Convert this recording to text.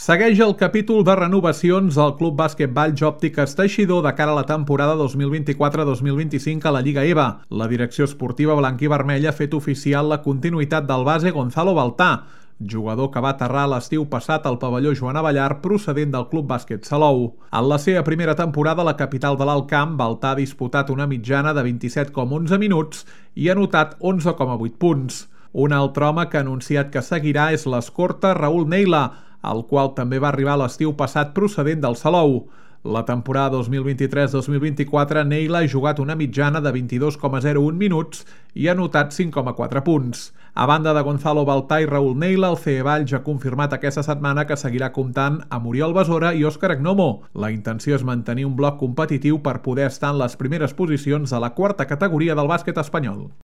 Segueix el capítol de renovacions al Club Bàsquet Valls Òptiques Teixidor de cara a la temporada 2024-2025 a la Lliga EVA. La direcció esportiva blanquivermella ha fet oficial la continuïtat del base Gonzalo Baltà, jugador que va aterrar l'estiu passat al pavelló Joan Abellar procedent del Club Bàsquet Salou. En la seva primera temporada a la capital de l'Alt Camp, Baltà ha disputat una mitjana de 27,11 minuts i ha anotat 11,8 punts. Un altre home que ha anunciat que seguirà és l'escorta Raúl Neila, el qual també va arribar l'estiu passat procedent del Salou. La temporada 2023-2024, Neila ha jugat una mitjana de 22,01 minuts i ha anotat 5,4 punts. A banda de Gonzalo Baltà i Raúl Neila, el CE Valls ha confirmat aquesta setmana que seguirà comptant amb Oriol Besora i Òscar Agnomo. La intenció és mantenir un bloc competitiu per poder estar en les primeres posicions de la quarta categoria del bàsquet espanyol.